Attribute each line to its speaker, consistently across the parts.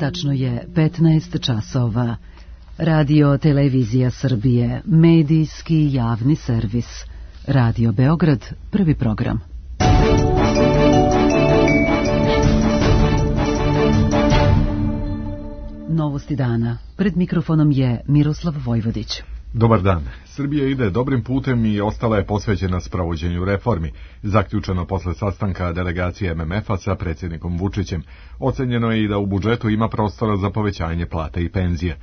Speaker 1: Tačno je 15 časova. Radio Televizija Srbije, medijski javni servis. Radio Beograd, prvi program. Novosti dana. Pred mikrofonom je Miroslav Vojvodić.
Speaker 2: Dobar dan. Srbija ide dobrim putem i ostala je posvećena sprovođenju reformi. Zaključeno posle sastanka delegacije MMF-a sa predsjednikom Vučićem. Ocenjeno je i da u budžetu ima prostora za povećanje plata i penzija.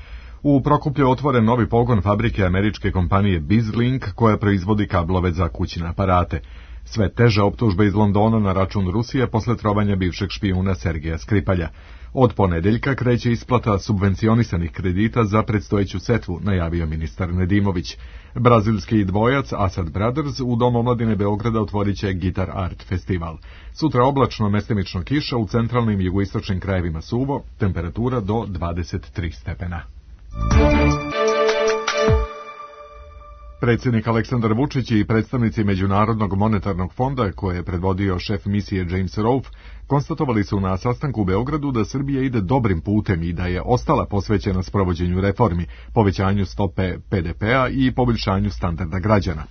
Speaker 2: U Prokuplju je otvoren novi pogon fabrike američke kompanije BizLink koja proizvodi kablove za kućne aparate. Sve teže optužbe iz Londona na račun Rusije posle trovanja bivšeg špijuna Sergeja Skripalja. Od ponedeljka kreće isplata subvencionisanih kredita za predstojeću setvu, najavio ministar Nedimović. Brazilski dvojac Asad Brothers u Domu omladine Beograda otvorit će Guitar Art festival. Sutra oblačno, mestimično kiša, u centralnim i jugoistočnim krajevima suvo, temperatura do 23 stepena. Predsjednik Aleksandar Vučić i predstavnici Međunarodnog monetarnog fonda, koje je predvodio šef misije James Rolfe, konstatovali su na sastanku u Beogradu da Srbija ide dobrim putem i da je ostala posvećena sprovođenju reformi, povećanju stope BDP-a i poboljšanju standarda građana.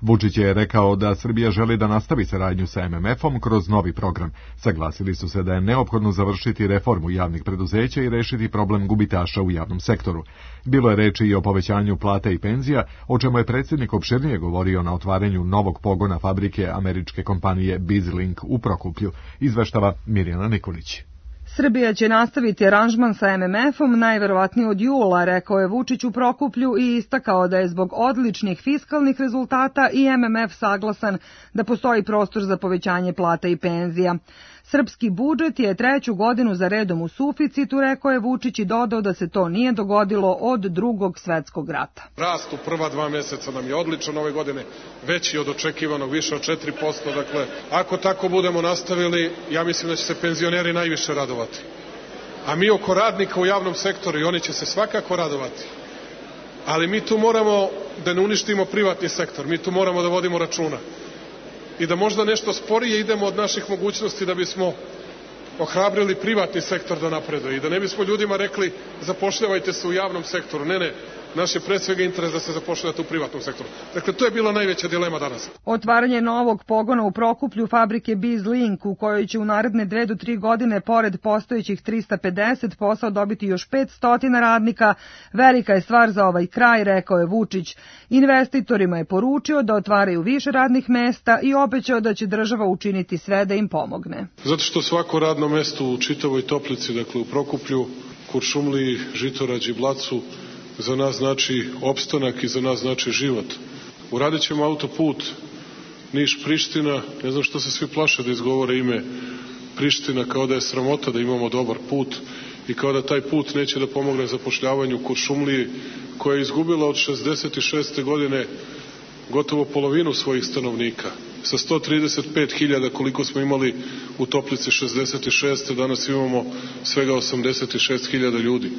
Speaker 2: Vučić je rekao da Srbija želi da nastavi saradnju sa MMF-om kroz novi program. Saglasili su se da je neophodno završiti reformu javnih preduzeća i rešiti problem gubitaša u javnom sektoru. Bilo je reči i o povećanju plata i penzija, o čemu je predsjednik opširnije govorio na otvaranju novog pogona fabrike američke kompanije BizLink u Prokuplju, izveštava Mirjana Nikolić.
Speaker 3: Srbija će nastaviti aranžman sa MMF-om najverovatnije od jula, rekao je Vučić u Prokuplju i istakao da je zbog odličnih fiskalnih rezultata i MMF saglasan da postoji prostor za povećanje plata i penzija. Srpski budžet je treću godinu za redom u suficitu, rekao je Vučić i dodao da se to nije dogodilo od Drugog svetskog rata.
Speaker 4: Rast u prva 2 mjeseca nam je odličan ove godine, veći od očekivanog, više od 4%. Dakle, ako tako budemo nastavili, ja mislim da će se penzioneri najviše radovati. A mi oko radnika u javnom sektoru, i oni će se svakako radovati. Ali mi tu moramo da ne uništimo privatni sektor, mi tu moramo da vodimo računa. I da možda nešto sporije idemo od naših mogućnosti da bismo ohrabrili privatni sektor da napreduje i da ne bismo ljudima rekli zapošljavajte se u javnom sektoru. Ne, naš je pre svega interes da se zapošljavate u privatnom sektoru. Dakle, to je bila najveća dilema danas.
Speaker 3: Otvaranje novog pogona u Prokuplju fabrike BizLink, u kojoj će u naredne 2 do 3 godine pored postojećih 350 posao dobiti još 500 radnika, velika je stvar za ovaj kraj, rekao je Vučić. Investitorima je poručio da otvaraju više radnih mesta i obećao da će država učiniti sve da im pomogne.
Speaker 4: Zato što svako radno mesto u čitavoj Toplici, dakle u Prokuplju, Kuršumliji, Žitorađi, Blacu, za nas znači opstanak i za nas znači život. Uradit ćemo autoput Niš-Priština, ne znam što se svi plaše da izgovore ime Priština, kao da je sramota da imamo dobar put i kao da taj put neće da pomogne zapošljavanju Kuršumliji, koja je izgubila od 66. godine gotovo polovinu svojih stanovnika. Sa 135.000 koliko smo imali u Toplici 66. danas imamo svega 86.000 ljudi.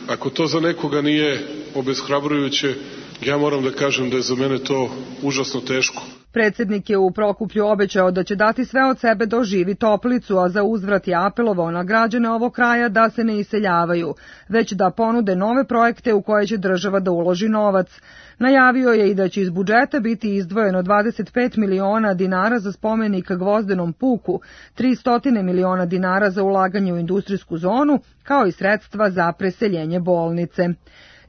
Speaker 4: Ako to za nekoga nije obeshrabrujuće, ja moram da kažem da je za mene to užasno teško.
Speaker 3: Predsjednik je u Prokuplju obećao da će dati sve od sebe da oživi Toplicu, a za uzvrat je apelovao na građane ovog kraja da se ne iseljavaju, već da ponude nove projekte u koje će država da uloži novac. Najavio je i da će iz budžeta biti izdvojeno 25 miliona dinara za spomenik Gvozdenom puku, 300 miliona dinara za ulaganje u industrijsku zonu, kao i sredstva za preseljenje bolnice.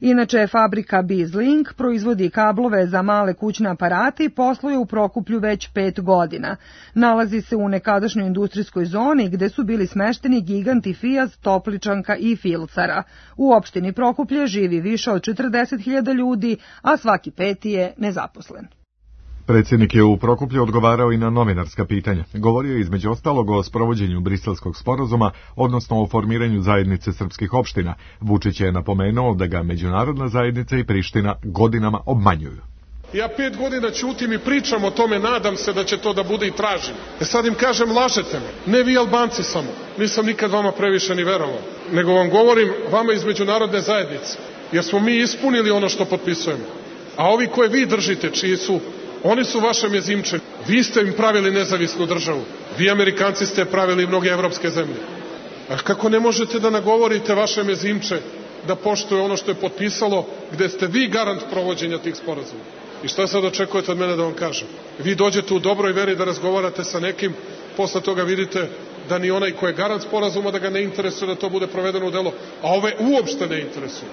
Speaker 3: Inače, fabrika BizLink proizvodi kablove za male kućne aparate i posluje u Prokuplju već 5 godina. Nalazi se u nekadašnjoj industrijskoj zoni gde su bili smešteni giganti Fijat, Topličanka i Filcara. U opštini Prokuplje živi više od 40.000 ljudi, a svaki 5. je nezaposlen.
Speaker 2: Predsjednik je u Prokuplju odgovarao i na novinarska pitanja. Govorio je između ostalog o sprovođenju Briselskog sporazuma, odnosno o formiranju zajednice srpskih opština. Vučić je napomenuo da ga međunarodna zajednica i Priština godinama obmanjuju.
Speaker 4: Ja 5 godina ćutim i pričam o tome, nadam se da će to da bude i tražim. Sad im kažem, lažete me. Ne vi Albanci samo. Nisam nikad vama previše ni verovao. Nego vam govorim vama iz međunarodne zajednice. Jer smo mi ispunili ono što potpisujemo. A ovi koje vi držite, čiji su, oni su vaše mezimče. Vi ste im pravili nezavisnu državu. Vi Amerikanci ste pravili mnoge evropske zemlje. A kako ne možete da nagovorite vaše mezimče da poštuje ono što je potpisalo, gde ste vi garant provođenja tih sporazuma? I šta sad očekujete od mene da vam kažem? Vi dođete u dobroj veri da razgovarate sa nekim, posle toga vidite da ni onaj ko je garant sporazuma da ga ne interesuje da to bude provedeno u delo, a ove uopšte ne interesuje.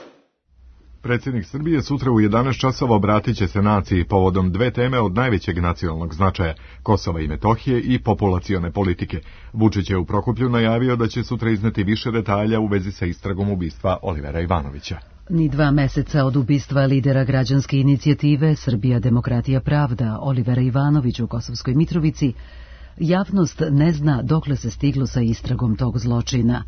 Speaker 2: Predsjednik Srbije sutra u 11 časova obratit će se naciji povodom dve teme od najvećeg nacionalnog značaja, Kosova i Metohije i populacione politike. Vučić je u Prokuplju najavio da će sutra izneti više detalja u vezi sa istragom ubistva Olivera Ivanovića.
Speaker 1: Ni 2 meseca od ubistva lidera građanske inicijative Srbija demokratija pravda Olivera Ivanovića u Kosovskoj Mitrovici, javnost ne zna dokle se stiglo sa istragom tog zločina.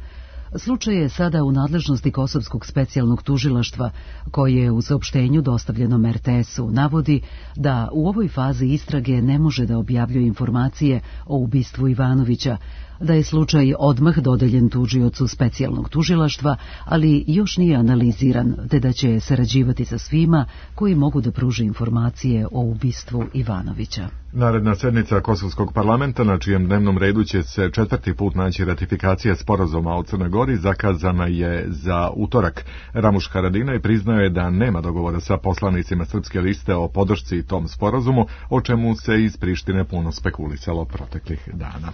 Speaker 1: Slučaj je sada u nadležnosti Kosovskog specijalnog tužilaštva, koje u saopštenju dostavljenom RTS-u navodi da u ovoj fazi istrage ne može da objavljuje informacije o ubistvu Ivanovića, da je slučaj odmah dodeljen tužiocu specijalnog tužilaštva, ali još nije analiziran, te da će sarađivati sa svima koji mogu da pruže informacije o ubistvu Ivanovića.
Speaker 2: Naredna sednica Kosovskog parlamenta, na čijem dnevnom redu će se 4. put naći ratifikacija sporazuma o Crnoj Gori, zakazana je za utorak. Ramuš Haradinaj priznao je da nema dogovora sa poslanicima Srpske liste o podršci tom sporazumu, o čemu se iz Prištine puno spekulisalo proteklih dana.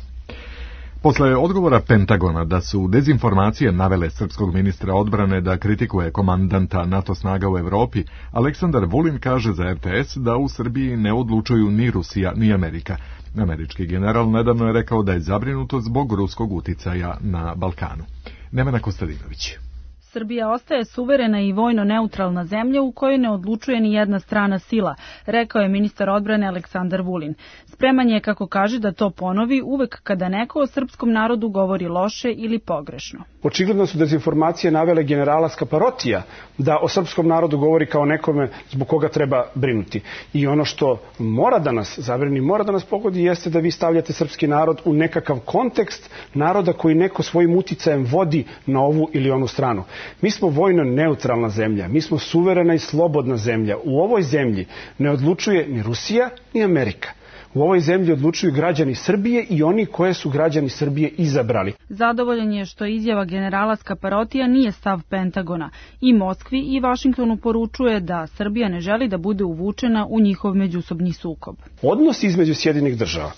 Speaker 2: Posle odgovora Pentagona da su dezinformacije navele srpskog ministra odbrane da kritikuje komandanta NATO snaga u Evropi, Aleksandar Vulin kaže za RTS da u Srbiji ne odlučuju ni Rusija ni Amerika. Američki general nedavno je rekao da je zabrinuto zbog ruskog uticaja na Balkanu. Nemanja Kostadinović.
Speaker 5: Srbija ostaje suverena i vojno neutralna zemlja u kojoj ne odlučuje ni jedna strana sila, rekao je ministar odbrane Aleksandar Vulin. Spreman je, kako kaže, da to ponovi uvek kada neko o srpskom narodu govori loše ili pogrešno.
Speaker 6: Očigledno su dezinformacije navele generala Skaparotija da o srpskom narodu govori kao nekome zbog koga treba brinuti. I ono što mora da nas zabrini, mora da nas pogodi, jeste da vi stavljate srpski narod u nekakav kontekst naroda koji neko svojim uticajem vodi na ovu ili onu stranu. Mi smo vojno neutralna zemlja, mi smo suverena i slobodna zemlja. U ovoj zemlji ne odlučuje ni Rusija ni Amerika. U ovoj zemlji odlučuju građani Srbije i oni koje su građani Srbije izabrali.
Speaker 5: Zadovoljan je što izjava generala Skaparotija nije stav Pentagona. I Moskvi i Vašingtonu poručuje da Srbija ne želi da bude uvučena u njihov međusobni sukob.
Speaker 6: Odnos između Sjedinjenih država,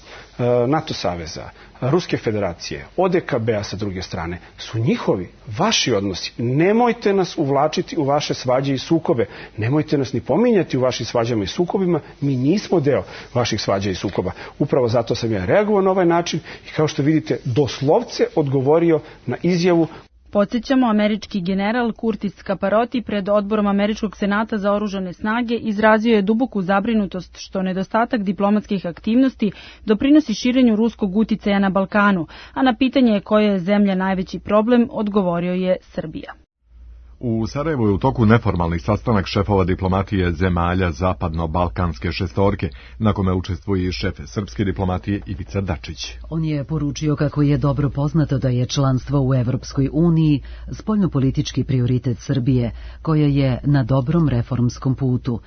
Speaker 6: NATO saveza, Ruske federacije, ODKB-a sa druge strane, su njihovi, vaši odnosi. Nemojte nas uvlačiti u vaše svađe i sukobe. Nemojte nas ni pominjati u vašim svađama i sukobima. Mi nismo deo vaših svađa i sukoba. Upravo zato sam ja reagovao na ovaj način i kao što vidite, doslovce odgovorio na izjavu.
Speaker 5: Podsjećamo, američki general Curtis Skaparoti pred odborom Američkog senata za oružane snage izrazio je duboku zabrinutost što nedostatak diplomatskih aktivnosti doprinosi širenju ruskog uticaja na Balkanu, a na pitanje koja je zemlja najveći problem odgovorio je Srbija.
Speaker 2: U Sarajevu je u toku neformalnih sastanak šefova diplomatije zemalja zapadno-balkanske šestorke, na kome učestvuje i šef srpske diplomatije Ivica Dačić.
Speaker 1: On je poručio kako je dobro poznato da je članstvo u Evropskoj uniji spoljnopolitički prioritet Srbije, koja je na dobrom reformskom putu.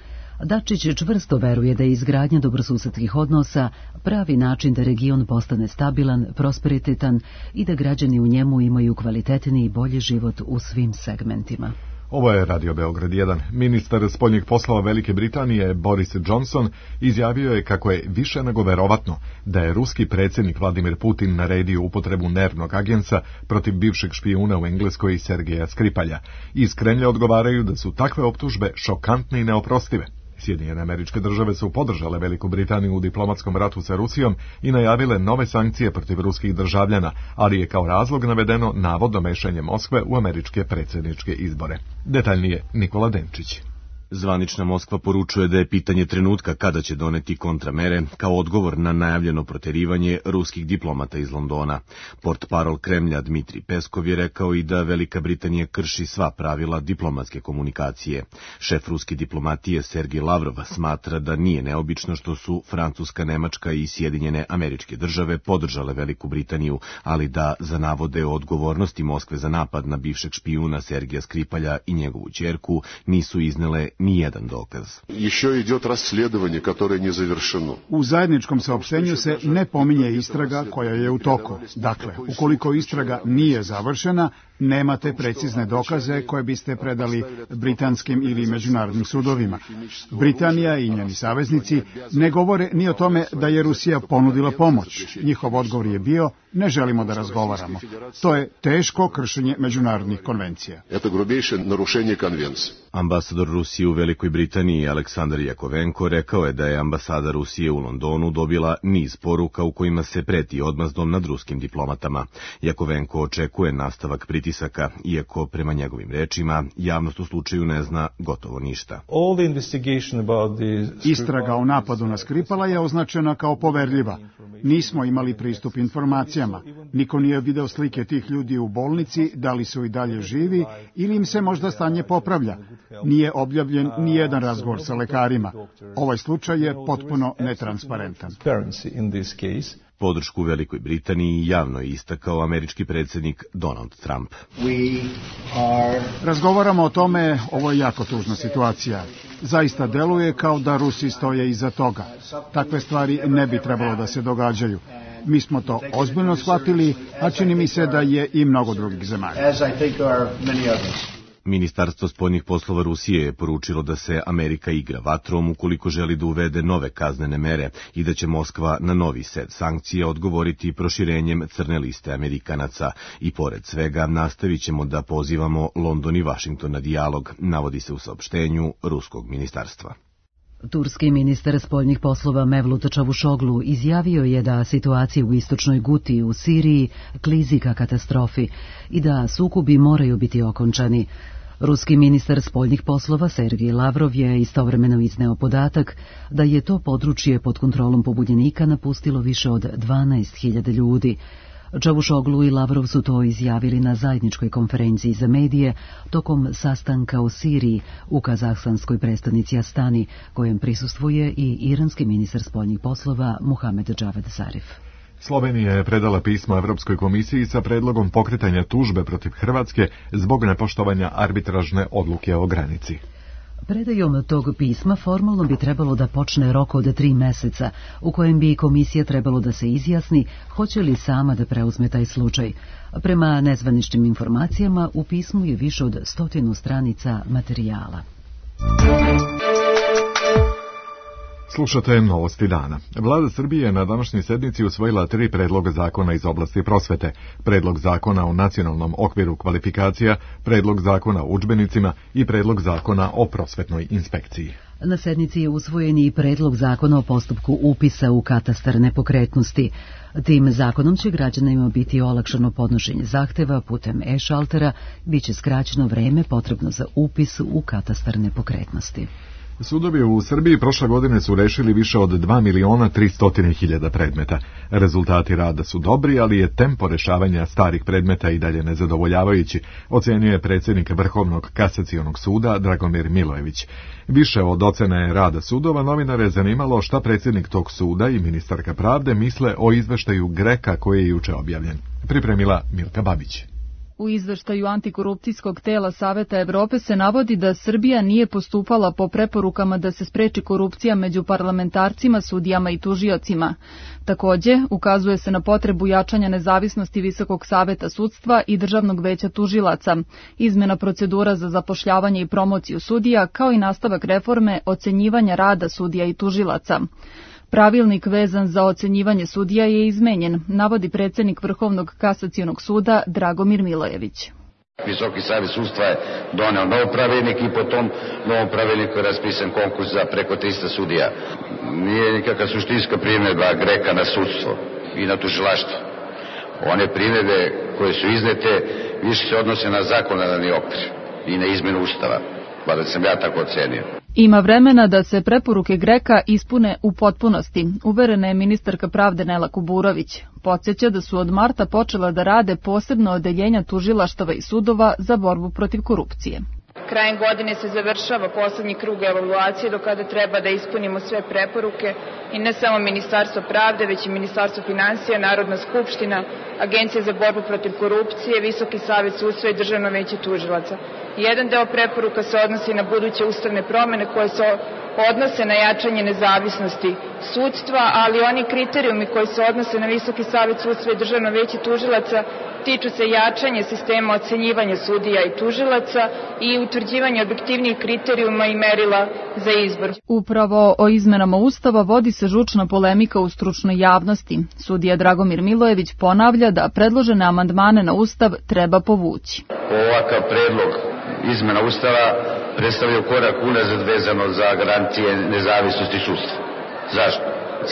Speaker 1: Dačić čvrsto veruje da je izgradnja dobrosusedskih odnosa pravi način da region postane stabilan, prosperitetan i da građani u njemu imaju kvalitetniji i bolji život u svim segmentima.
Speaker 2: Ovo je Radio Beograd 1. Ministar spoljnih poslova Velike Britanije Boris Johnson izjavio je kako je više nego verovatno da je ruski predsjednik Vladimir Putin naredio upotrebu nervnog agensa protiv bivšeg špijuna u Engleskoj Sergeja Skripalja. Iz Kremlja odgovaraju da su takve optužbe šokantne i neoprostive. Sjedinjene Američke Države su podržale Veliku Britaniju u diplomatskom ratu sa Rusijom i najavile nove sankcije protiv ruskih državljana, ali je kao razlog navedeno navodno mešanje Moskve u američke predsjedničke izbore. Detaljnije Nikola Denčić.
Speaker 7: Zvanična Moskva poručuje da je pitanje trenutka kada će doneti kontramere kao odgovor na najavljeno proterivanje ruskih diplomata iz Londona. Portparol Kremlja Dmitrij Peskov je rekao i da Velika Britanija krši sva pravila diplomatske komunikacije. Šef ruske diplomatije Sergej Lavrov smatra da nije neobično što su Francuska, Nemačka i Sjedinjene Američke Države podržale Veliku Britaniju, ali da za navode o odgovornosti Moskve za napad na bivšeg špijuna Sergeja Skripalja i njegovu ćerku nisu iznele nijedan dokaz.
Speaker 8: U zajedničkom saopštenju se ne pominje istraga koja je u toku. Dakle, ukoliko istraga nije završena, nemate precizne dokaze koje biste predali britanskim ili međunarodnim sudovima. Britanija i njeni saveznici ne govore ni o tome da je Rusija ponudila pomoć. Njihov odgovor je bio: ne želimo da razgovaramo. To je teško kršenje međunarodnih konvencija.
Speaker 7: Ambasador Rusije u Velikoj Britaniji Aleksandar Jakovenko rekao je da je ambasada Rusije u Londonu dobila niz poruka u kojima se preti odmazdom nad ruskim diplomatama. Jakovenko očekuje nastavak pritisaka, iako prema njegovim rečima javnost u slučaju ne zna gotovo ništa.
Speaker 8: Istraga o napadu na Skripala je označena kao poverljiva. Nismo imali pristup informacijama. Niko nije video slike tih ljudi u bolnici, da li su i dalje živi ili im se možda stanje popravlja. Nije objavljen ni jedan razgovor sa lekarima. Ovaj slučaj je potpuno netransparentan.
Speaker 7: Podršku Velikoj Britaniji javno je istakao američki predsjednik Donald Trump.
Speaker 8: Razgovaramo o tome, ovo je jako tužna situacija. Zaista deluje kao da Rusi stoje iza toga. Takve stvari ne bi trebalo da se događaju. Mi smo to ozbiljno shvatili, a čini mi se da je i mnogo drugih zemalja.
Speaker 7: Ministarstvo spoljnih poslova Rusije je poručilo da se Amerika igra vatrom ukoliko želi da uvede nove kaznene mere i da će Moskva na novi set sankcija odgovoriti proširenjem crne liste Amerikanaca. I pored svega nastavit ćemo da pozivamo London i Vašington na dijalog, navodi se u saopštenju ruskog ministarstva.
Speaker 1: Turski ministar spoljnih poslova Mevlut Čavušoglu izjavio je da situacija u istočnoj Guti u Siriji klizi ka katastrofi i da sukobi moraju biti okončani. Ruski ministar spoljnih poslova Sergej Lavrov je istovremeno izneo podatak da je to područje pod kontrolom pobunjenika napustilo više od 12.000 ljudi. Čavušoglu i Lavrov su to izjavili na zajedničkoj konferenciji za medije tokom sastanka u Siriji u kazahstanskoj prestonici Astani, kojem prisustvuje i iranski ministar spoljnih poslova Muhamed Džavad Zarif.
Speaker 2: Slovenija je predala pismo Evropskoj komisiji sa predlogom pokretanja tužbe protiv Hrvatske zbog nepoštovanja arbitražne odluke o granici.
Speaker 1: Predajom tog pisma formalno bi trebalo da počne rok od 3 meseca, u kojem bi komisija trebalo da se izjasni hoće li sama da preuzme taj slučaj. Prema nezvaničnim informacijama, u pismu je više od 100 stranica materijala.
Speaker 2: Slušate novosti dana. Vlada Srbije na današnjoj sednici usvojila 3 predloga zakona iz oblasti prosvete. Predlog zakona o nacionalnom okviru kvalifikacija, predlog zakona o udžbenicima i predlog zakona o prosvetnoj inspekciji.
Speaker 1: Na sednici je usvojen i predlog zakona o postupku upisa u katastar nepokretnosti. Tim zakonom će građanima biti olakšano podnošenje zahteva putem e-šaltera, bit će skraćeno vreme potrebno za upis u katastar nepokretnosti.
Speaker 2: Sudovi u Srbiji prošle godine su rešili više od 2.300.000 predmeta. Rezultati rada su dobri, ali je tempo rešavanja starih predmeta i dalje nezadovoljavajući, ocenjuje predsjednik Vrhovnog kasacionog suda Dragomir Milojević. Više od ocene rada sudova novinare je zanimalo šta predsjednik tog suda i ministarka pravde misle o izveštaju GRECA koji je juče objavljen. Pripremila Milka Babić.
Speaker 9: U izveštaju antikorupcijskog tela Saveta Evrope se navodi da Srbija nije postupala po preporukama da se spreči korupcija među parlamentarcima, sudijama i tužiocima. Takođe, ukazuje se na potrebu jačanja nezavisnosti Visokog saveta sudstva i Državnog veća tužilaca, izmena procedura za zapošljavanje i promociju sudija, kao i nastavak reforme ocenjivanja rada sudija i tužilaca. Pravilnik vezan za ocenjivanje sudija je izmenjen, navodi predsjednik Vrhovnog kasacionog suda Dragomir Milojević.
Speaker 10: Visoki savjet sudstva je doneo nov pravilnik i po tom novom pravilniku je raspisan konkurs za preko 300 sudija. Nije nikakva suštinska primjedba GRECA na sudstvo i na tužilaštvo. One primjedbe koje su iznete više se odnose na zakonodavni okvir i na izmenu ustava, da sam ja tako ocenio.
Speaker 9: Ima vremena da se preporuke GRECA ispune u potpunosti, uverena je ministarka pravde Nela Kuburović. Podsjeća da su od marta počela da rade posebno odeljenja tužilaštava i sudova za borbu protiv korupcije.
Speaker 11: Krajem godine se završava poslednji krug evaluacije do kada treba da ispunimo sve preporuke i ne samo Ministarstvo pravde, već i Ministarstvo finansija, Narodna skupština, Agencija za borbu protiv korupcije, Visoki savet sudstva i Državno veće tužilaca. Jedan deo preporuka se odnosi na buduće ustavne promene koje se odnose na jačanje nezavisnosti sudstva, ali oni kriterijumi koji se odnose na Visoki savet sudstva i Državno veće tužilaca tiču se jačanja sistema ocenjivanja sudija i tužilaca i utvrđivanja objektivnijih kriterijuma i merila za izbor.
Speaker 9: Upravo o izmenama Ustava vodi se žučna polemika u stručnoj javnosti. Sudija Dragomir Milojević ponavlja da predložene amandmane na Ustav treba povući.
Speaker 10: Ovakav predlog izmena Ustava predstavljaju korak unazad vezano za garancije nezavisnosti sudstva. Zašto?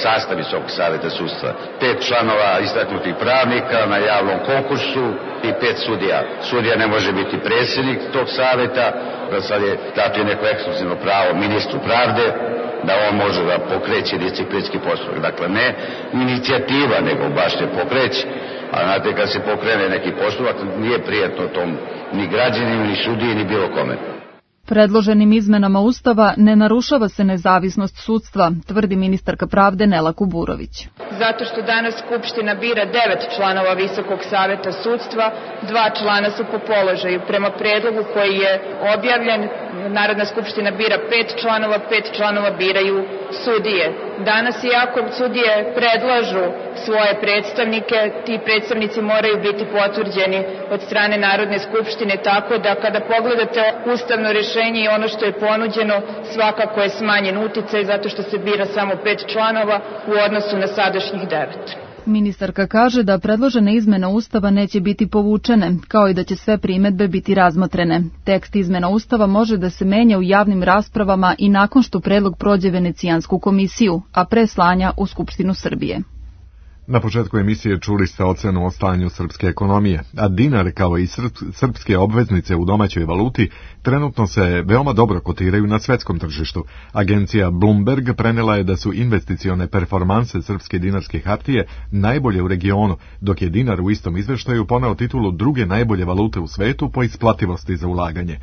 Speaker 10: Sastav Visokog saveta sudstva. 5 članova istaknutih pravnika na javnom konkursu i 5 sudija. Sudija ne može biti predsjednik tog saveta, da sad je dato neko ekskluzivno pravo ministru pravde, da on može da pokreće disciplinski postupak. Dakle, ne inicijativa, nego baš se pokreće. A znate, kad se pokrene neki postupak, nije prijatno tom ni građaninu, ni sudiji, ni bilo kome.
Speaker 9: Predloženim izmenama Ustava ne narušava se nezavisnost sudstva, tvrdi ministarka pravde Nela Kuburović.
Speaker 11: Zato što danas Skupština bira 9 članova Visokog saveta sudstva, 2 člana su po položaju. Prema predlogu koji je objavljen, Narodna skupština bira 5 članova, 5 članova biraju sudije. Danas, iako sudije predlažu svoje predstavnike, ti predstavnici moraju biti potvrđeni od strane Narodne skupštine, tako da kada pogledate ustavno rješenje i ono što je ponuđeno, svakako je smanjen uticaj zato što se bira samo 5 članova u odnosu na sadašnjih 9.
Speaker 9: Ministarka kaže da predložene izmene Ustava neće biti povučene, kao i da će sve primedbe biti razmotrene. Tekst izmena Ustava može da se menja u javnim raspravama i nakon što predlog prođe Venecijansku komisiju, a pre slanja u Skupštinu Srbije.
Speaker 2: Na početku emisije čuli ste ocenu o stanju srpske ekonomije, a dinar kao i srpske obveznice u domaćoj valuti trenutno se veoma dobro kotiraju na svetskom tržištu. Agencija Bloomberg prenela je da su investicione performanse srpske dinarske hartije najbolje u regionu, dok je dinar u istom izveštaju poneo titulu druge najbolje valute u svetu po isplativosti za ulaganje.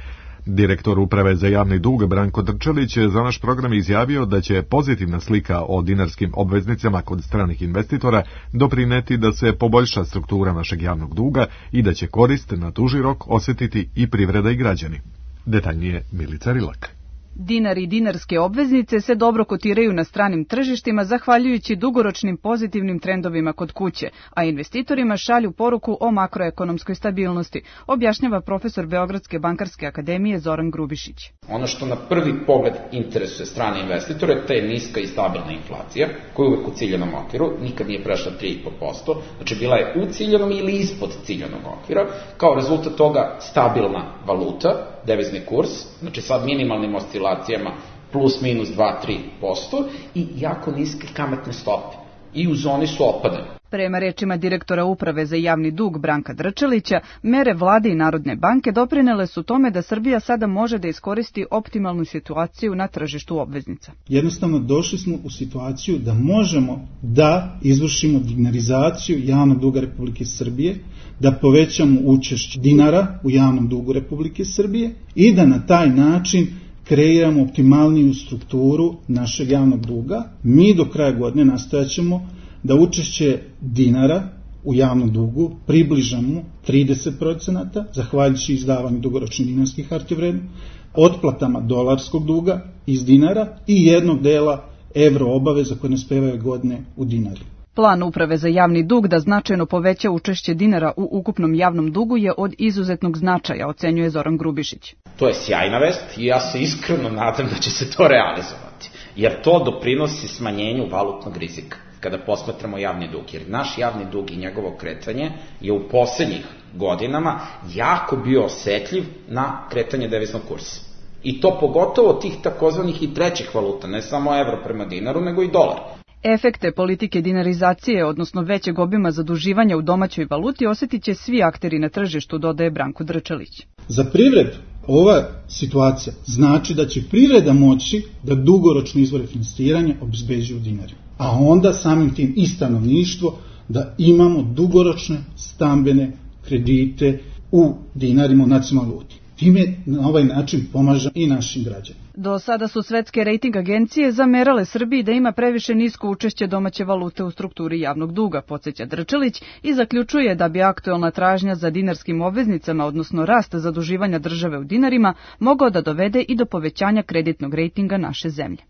Speaker 2: Direktor Uprave za javni dug Branko Drčelić za naš program izjavio da će pozitivna slika o dinarskim obveznicama kod stranih investitora doprineti da se poboljša struktura našeg javnog duga i da će korist na duži rok osjetiti i privreda i građani. Detaljnije Milica Rilak.
Speaker 12: Dinar i dinarske obveznice se dobro kotiraju na stranim tržištima zahvaljujući dugoročnim pozitivnim trendovima kod kuće, a investitorima šalju poruku o makroekonomskoj stabilnosti, objašnjava profesor Beogradske bankarske akademije Zoran Grubišić.
Speaker 13: Ono što na prvi pogled interesuje strane investitore, to je niska i stabilna inflacija, koja je uvek u ciljenom okviru, nikad nije prešla 3,5%, znači bila je u ciljenom ili ispod ciljenog okvira, kao rezultat toga stabilna valuta, devizni kurs, znači sa minimalnim oscilacijama plus minus 2-3% i jako niske kamatne stope. I u zoni su opadanja.
Speaker 12: Prema rečima direktora Uprave za javni dug Branka Drčelića, mere vlade i Narodne banke doprinele su tome da Srbija sada može da iskoristi optimalnu situaciju na tržištu obveznica.
Speaker 14: Jednostavno došli smo u situaciju da možemo da izvršimo dinarizaciju javnog duga Republike Srbije, da povećamo učešće dinara u javnom dugu Republike Srbije i da na taj način kreiramo optimalniju strukturu našeg javnog duga. Mi do kraja godine nastojaćemo da učešće dinara u javnom dugu približamo 30%, zahvaljujući izdavanju dugoročnih dinarskih hartija vrednosti, otplatama dolarskog duga iz dinara i jednog dela evro obaveza koje nas pevaju godine u dinari.
Speaker 12: Plan Uprave za javni dug da značajno poveća učešće dinara u ukupnom javnom dugu je od izuzetnog značaja, ocenjuje Zoran Grubišić.
Speaker 13: To je sjajna vest i ja se iskreno nadam da će se to realizovati, jer to doprinosi smanjenju valutnog rizika kada posmatramo javni dug, jer naš javni dug i njegovo kretanje je u poslednjih godinama jako bio osetljiv na kretanje deviznog kursa. I to pogotovo tih takozvanih i trećih valuta, ne samo evro prema dinaru, nego i dolar.
Speaker 12: Efekte politike dinarizacije, odnosno većeg obima zaduživanja u domaćoj valuti, osjetit će svi akteri na tržištu, dodaje Branko Drčelić.
Speaker 14: Za privredu ova situacija znači da će privreda moći da dugoročno izvore finansiranja obezbeđuju dinari. A onda samim tim i stanovništvo da imamo dugoročne stambene kredite u dinarima u nacionalnoj valuti. Time na ovaj način pomažem i našim građanima.
Speaker 12: Do sada su svetske rejting agencije zamerale Srbiji da ima previše nisko učešće domaće valute u strukturi javnog duga, podsjeća Drčelić, i zaključuje da bi aktuelna tražnja za dinarskim obveznicama, odnosno rast zaduživanja države u dinarima, mogao da dovede i do povećanja kreditnog rejtinga naše zemlje.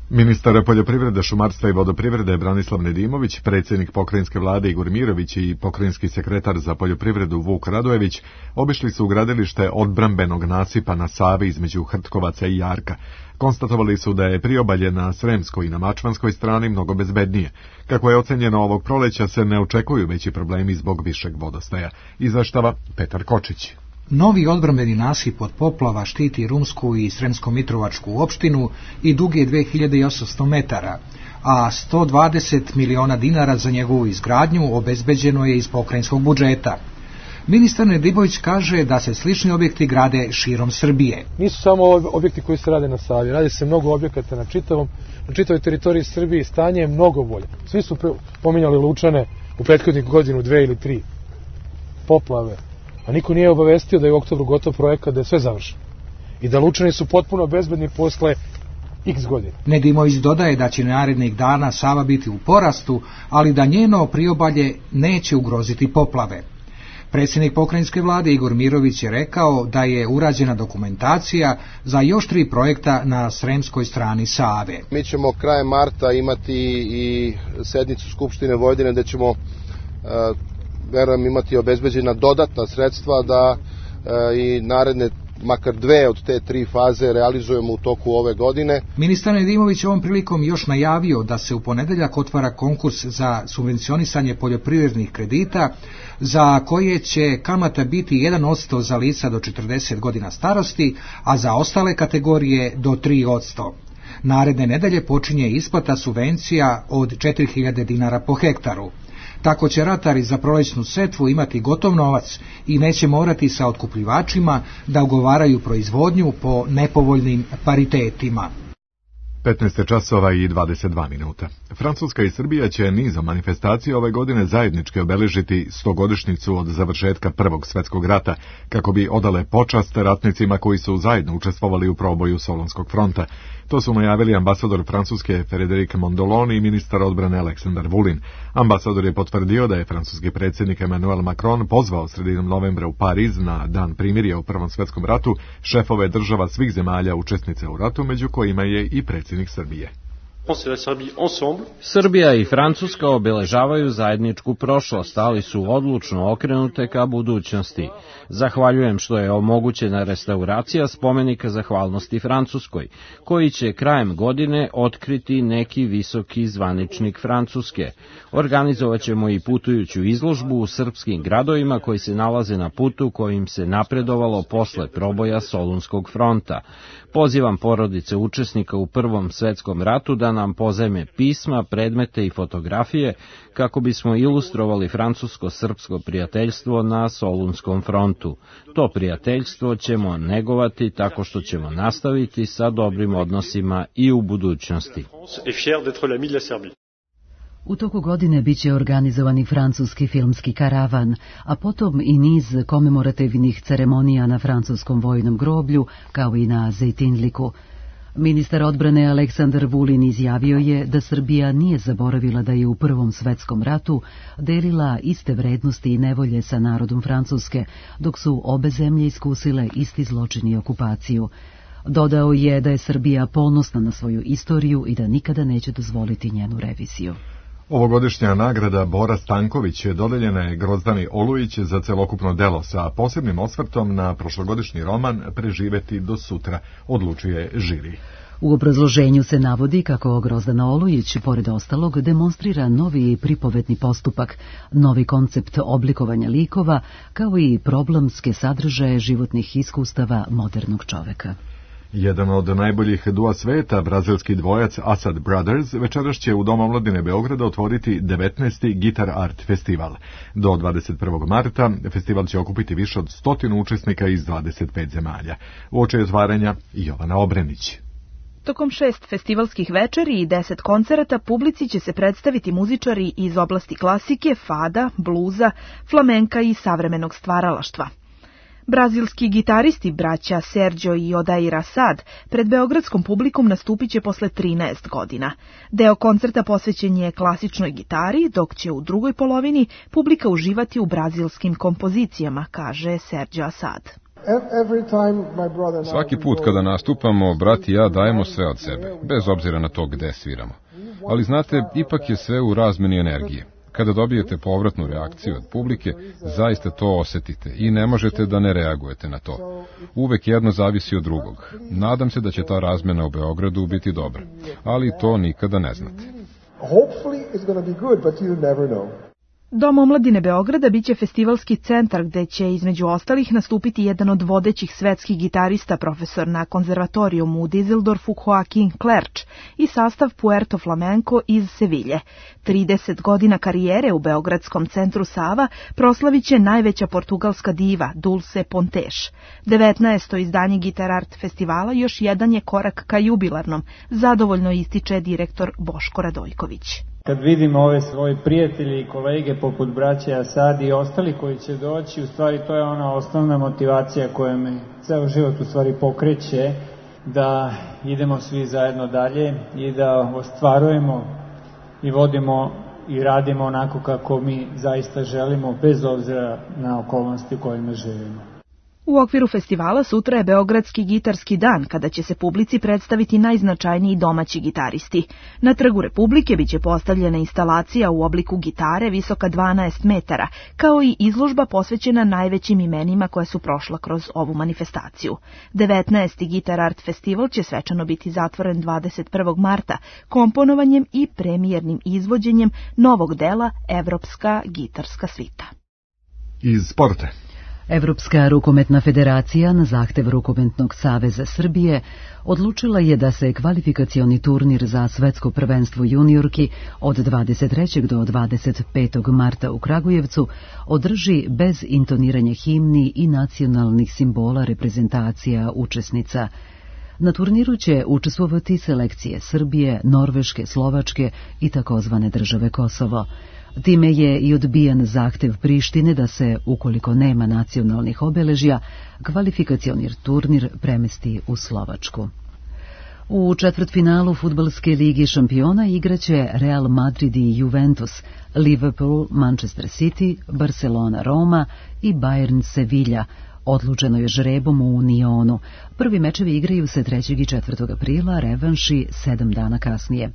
Speaker 2: Ministar poljoprivrede, šumarstva i vodoprivrede Branislav Nedimović, predsjednik pokrajinske vlade Igor Mirović i pokrajinski sekretar za poljoprivredu Vuk Radojević obišli su gradilište odbrambenog nasipa na Savi između Hrtkovaca i Jarka. Konstatovali su da je priobalje na Sremskoj i na Mačvanskoj strani mnogo bezbednije. Kako je ocenjeno, ovog proleća se ne očekuju veći problemi zbog višeg vodostaja. Izveštava Petar Kočić.
Speaker 15: Novi odbrambeni nasip od poplava štiti Rumsku i Sremsko-Mitrovačku opštinu i dug je 2800 metara, a 120 miliona dinara za njegovu izgradnju obezbeđeno je iz pokrajinskog budžeta. Ministar Nedimović kaže da se slični objekti grade širom Srbije.
Speaker 16: Nisu samo objekti koji se rade na Savi, radi se mnogo objekata na čitavoj teritoriji Srbije, stanje je mnogo bolje. Svi su pominjali Lučane u prethodnih godinu, 2 ili 3 poplave. A niko nije obavestio da je u oktobru gotov projekat, da je sve završeno. I da Lučani su potpuno bezbedni posle x godina.
Speaker 15: Nedimović dodaje da će narednih dana Sava biti u porastu, ali da njeno priobalje neće ugroziti poplave. Predsjednik pokrajinske vlade Igor Mirović je rekao da je urađena dokumentacija za još 3 projekta na sremskoj strani Save.
Speaker 17: Mi ćemo krajem marta imati i sednicu Skupštine Vojvodine gde ćemo verujem imati obezbeđena dodatna sredstva da i naredne makar 2 od te 3 faze realizujemo u toku ove godine.
Speaker 15: Ministar Nedimović ovom prilikom još najavio da se u ponedeljak otvara konkurs za subvencionisanje poljoprivrednih kredita za koje će kamata biti 1% za lica do 40 godina starosti, a za ostale kategorije do 3%. Naredne nedelje počinje isplata subvencija od 4000 dinara po hektaru. Tako će ratari za prolećnu setvu imati gotov novac i neće morati sa otkupljivačima da ugovaraju proizvodnju po nepovoljnim paritetima.
Speaker 2: 15 časova i 22 minuta. Francuska i Srbija će nizom manifestacija ove godine zajednički obeležiti 100-godišnjicu od završetka Prvog svjetskog rata, kako bi odale počast ratnicima koji su zajedno učestvovali u proboju Solunskog fronta. To su najavili ambasador Francuske Frédéric Mondoloni i ministar odbrane Aleksandar Vulin. Ambasador je potvrdio da je francuski predsjednik Emmanuel Macron pozvao sredinom novembra u Pariz na dan primirja u Prvom svjetskom ratu šefove država svih zemalja učesnice u ratu, među kojima je i predsjednik Srbije.
Speaker 18: Srbija i Francuska obeležavaju zajedničku prošlost, ali su odlučno okrenute ka budućnosti. Zahvaljujem što je omogućena restauracija spomenika zahvalnosti Francuskoj, koji će krajem godine otkriti neki visoki zvaničnik Francuske. Organizovaćemo i putujuću izložbu u srpskim gradovima koji se nalaze na putu kojim se napredovalo posle proboja Solunskog fronta. Pozivam porodice učesnika u Prvom svjetskom ratu da nam pozajme pisma, predmete i fotografije kako bismo ilustrovali francusko-srpsko prijateljstvo na Solunskom frontu. To prijateljstvo ćemo negovati tako što ćemo nastaviti sa dobrim odnosima i u budućnosti.
Speaker 1: U toku godine biće organizovani francuski filmski karavan, a potom i niz komemorativnih ceremonija na francuskom vojnom groblju, kao i na Zejtinliku. Ministar odbrane Aleksandar Vulin izjavio je da Srbija nije zaboravila da je u Prvom svjetskom ratu delila iste vrednosti i nevolje sa narodom Francuske, dok su obe zemlje iskusile isti zločin i okupaciju. Dodao je da je Srbija ponosna na svoju istoriju i da nikada neće dozvoliti njenu reviziju.
Speaker 2: Ovogodišnja nagrada Bora Stanković dodeljena je Grozdani Olujić za celokupno delo sa posebnim osvrtom na prošlogodišnji roman Preživeti do sutra, odlučuje žiri.
Speaker 1: U obrazloženju se navodi kako Grozdana Olujić, pored ostalog, demonstrira novi pripovetni postupak, novi koncept oblikovanja likova, kao i problemske sadržaje životnih iskustava modernog čoveka.
Speaker 2: Jedan od najboljih dua sveta, brazilski dvojac Asad Brothers, večeras će u Domu omladine Beograda otvoriti 19. Guitar Art festival. Do 21. marta festival će okupiti više od 100 učesnika iz 25 zemalja. Uoči otvaranja Jovana Obrenić.
Speaker 19: Tokom 6 festivalskih večeri i 10 koncerata publici će se predstaviti muzičari iz oblasti klasike, fada, bluza, flamenka i savremenog stvaralaštva. Brazilski gitaristi braća Sergio i Odair Assad pred beogradskom publikom nastupit će posle 13 godina. Deo koncerta posvećen je klasičnoj gitari, dok će u drugoj polovini publika uživati u brazilskim kompozicijama, kaže Sergio Assad.
Speaker 20: Svaki put kada nastupamo, brat i ja dajemo sve od sebe, bez obzira na to gde sviramo. Ali znate, ipak je sve u razmeni energije. Kada dobijete povratnu reakciju od publike, zaista to osetite i ne možete da ne reagujete na to. Uvek jedno zavisi od drugog. Nadam se da će ta razmena u Beogradu biti dobra, ali to nikada ne znate.
Speaker 19: Dom omladine Beograda biće festivalski centar gde će između ostalih nastupiti jedan od vodećih svetskih gitarista, profesor na konzervatorijumu u Düsseldorfu Joaquin Clerch i sastav Puerto Flamenco iz Sevilje. 30 godina karijere u Beogradskom centru Sava proslavit će najveća portugalska diva Dulce Pontes. 19. izdanje Gitar Art festivala još jedan je korak ka jubilarnom, zadovoljno ističe direktor Boško Radojković.
Speaker 21: Kad vidim ove svoje prijatelje i kolege poput braće Asad i ostali koji će doći, u stvari to je ona osnovna motivacija koja me ceo život u stvari pokreće da idemo svi zajedno dalje i da ostvarujemo i vodimo i radimo onako kako mi zaista želimo, bez obzira na okolnosti u kojima živimo.
Speaker 19: U okviru festivala sutra je Beogradski gitarski dan, kada će se publici predstaviti najznačajniji domaći gitaristi. Na Trgu Republike biće postavljena instalacija u obliku gitare visoka 12 metara, kao i izložba posvećena najvećim imenima koja su prošla kroz ovu manifestaciju. 19. Gitar Art festival će svečano biti zatvoren 21. marta komponovanjem i premijernim izvođenjem novog dela Evropska gitarska svita.
Speaker 2: Iz sporta.
Speaker 1: Evropska rukometna federacija na zahtev Rukometnog saveza Srbije odlučila je da se kvalifikacioni turnir za svetsko prvenstvo juniorki od 23. do 25. marta u Kragujevcu održi bez intoniranja himni i nacionalnih simbola reprezentacija učesnica. Na turniru će učestvovati selekcije Srbije, Norveške, Slovačke i takozvane države Kosovo. Time je i odbijen zahtev Prištine da se, ukoliko nema nacionalnih obeležja, kvalifikacioni turnir premesti u Slovačku. U četvrtfinalu fudbalske ligi šampiona igraće Real Madrid i Juventus, Liverpool, Manchester City, Barcelona, Roma i Bayern Sevilla. Odlučeno je žrebom u Unionu. Prvi mečevi igraju se 3. i 4. aprila, revanši 7 dana kasnije.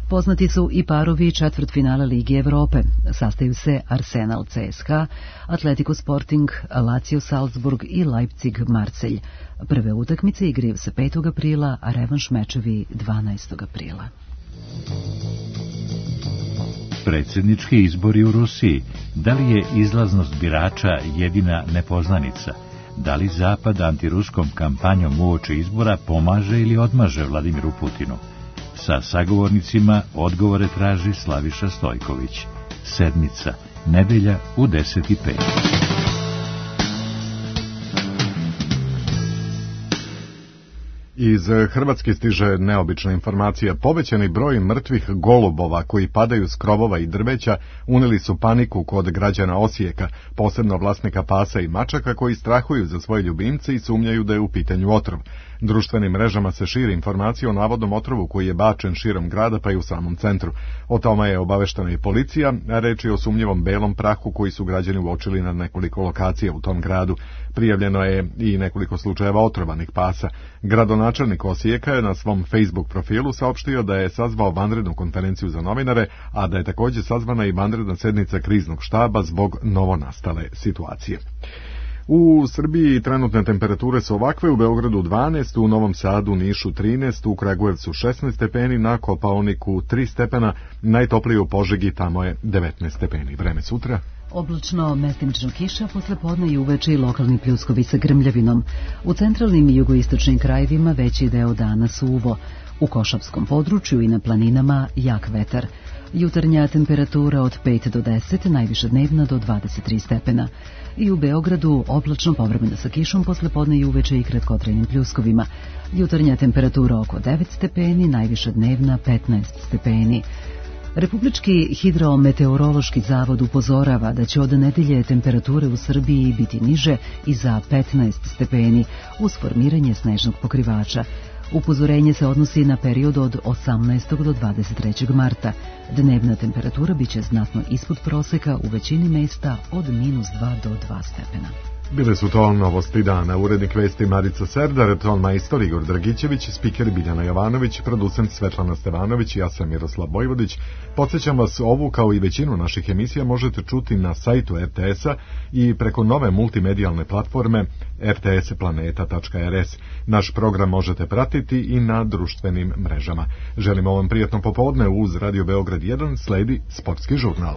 Speaker 1: Poznati su i parovi četvrtfinala Lige Evrope. Sastaju se Arsenal CSKA, Atletico Sporting, Lazio Salzburg i Leipzig Marselj. Prve utakmice igraju se 5. aprila, a revanš mečevi 12. aprila.
Speaker 22: Predsjednički izbori u Rusiji. Da li je izlaznost birača jedina nepoznanica? Da li Zapad antiruskom kampanjom uoči izbora pomaže ili odmaže Vladimiru Putinu? Sa sagovornicima odgovore traži Slaviša Stojković. Sedmica, nedelja u 10:05.
Speaker 2: Iz Hrvatske stiže neobična informacija. Povećani broj mrtvih golubova koji padaju s krovova i drveća uneli su paniku kod građana Osijeka, posebno vlasnika pasa i mačaka koji strahuju za svoje ljubimce i sumnjaju da je u pitanju otrov. Društvenim mrežama se širi informacija o navodnom otrovu koji je bačen širom grada pa i u samom centru. O tome je obaveštena i policija, a reč je o sumnjivom belom prahu koji su građani uočili na nekoliko lokacija u tom gradu. Prijavljeno je i nekoliko slučajeva otrovanih pasa. Gradonačelnik Osijeka je na svom Facebook profilu saopštio da je sazvao vanrednu konferenciju za novinare, a da je također sazvana i vanredna sednica kriznog štaba zbog novonastale situacije. U Srbiji trenutne temperature su ovakve: u Beogradu 12, u Novom Sadu, Nišu 13, u Kragujevcu 16 stepeni, na Kopaoniku 3 stepena, najtoplije u Požegi, tamo je 19 stepeni. Vreme sutra.
Speaker 1: Oblačno, mestimično kiša, posle podne i uveče i lokalni pljuskovi sa grmljavinom. U centralnim i jugoistočnim krajevima veći deo dana suvo. U Košavskom području i na planinama jak vetar. Jutarnja temperatura od 5 do 10, najviša dnevna do 23 stepena. I u Beogradu oblačno, povremeno sa kišom, posle podne i uveče i kratkotrajnim pljuskovima. Jutarnja temperatura oko 9 stepeni, najviša dnevna 15 stepeni. Republički hidrometeorološki zavod upozorava da će od nedelje temperature u Srbiji biti niže i za 15 stepeni uz formiranje snežnog pokrivača. Upozorenje se odnosi na period od 18. do 23. marta. Dnevna temperatura biće znatno ispod proseka u većini mesta od -2 do 2 stepena.
Speaker 2: Bile su to novosti dana. Urednik vesti Marica Serdar, ton majstor Igor Dragićević, spiker Biljana Jovanović, producent Svetlana Stevanović i ja sam Miroslav Bojvodić. Podsjećam vas, ovu kao i većinu naših emisija možete čuti na sajtu RTS-a i preko nove multimedijalne platforme rtsplaneta.rs. Naš program možete pratiti i na društvenim mrežama. Želimo vam prijatno popodne. Uz Radio Beograd 1 sledi sportski žurnal.